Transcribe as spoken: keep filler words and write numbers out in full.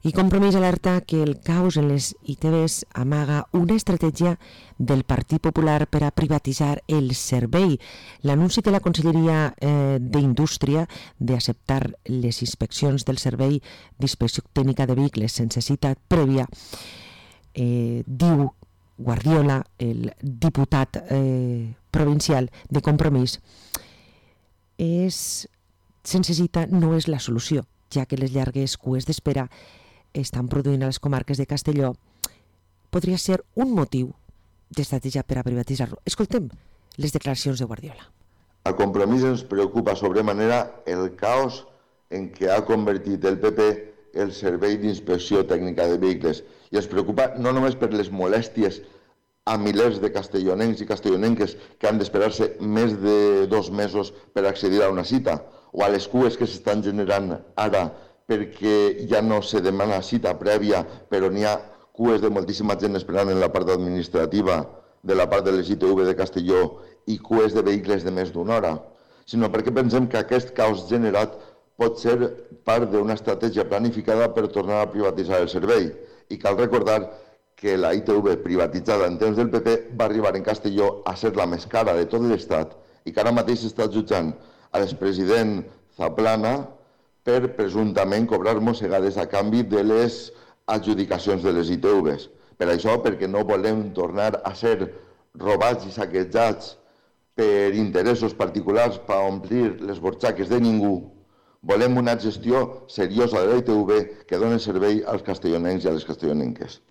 I Compromís alerta que el caos en les I T Bs amaga una estratègia del Partit Popular per a privatitzar el servei. L'anunci de la Conselleria eh, d'Indústria d'acceptar les inspeccions del servei d'inspecció tècnica de vehicles sense cita prèvia, eh, diu Guardiola, el diputat eh, provincial de Compromís, és, sense cita, no és la solució, ja que les llargues cues d'espera estan produint a les comarques de Castelló, podria ser un motiu d'estratègia per a privatitzar-lo. Escoltem les declaracions de Guardiola. A Compromís ens preocupa sobremanera el caos en què ha convertit el P P el servei d'inspecció tècnica de vehicles i ens preocupa no només per les molèsties a milers de castellonencs i castellonenques que han d'esperar-se més de dos mesos per accedir a una cita o a les cues que s'estan generant ara perquè ja no se demana cita prèvia, però n'hi ha cues de moltíssima gent esperant en la part administrativa de la part de les I T V de Castelló i cues de vehicles de més d'una hora, sinó perquè pensem que aquest caos generat pot ser part d'una estratègia planificada per tornar a privatitzar el servei. I cal recordar que la I T V privatitzada en temps del P P va arribar en Castelló a ser la més cara de tot l'Estat i que ara mateix s'està jutjant a l'expresident Zaplana per presumptament cobrar mossegades a canvi de les adjudicacions de les I T Vs. Per això, perquè no volem tornar a ser robats i saquejats per interessos particulars per omplir les borxaques de ningú, volem una gestió seriosa de la I T V que doni servei als castellonencs i a les castellonenques.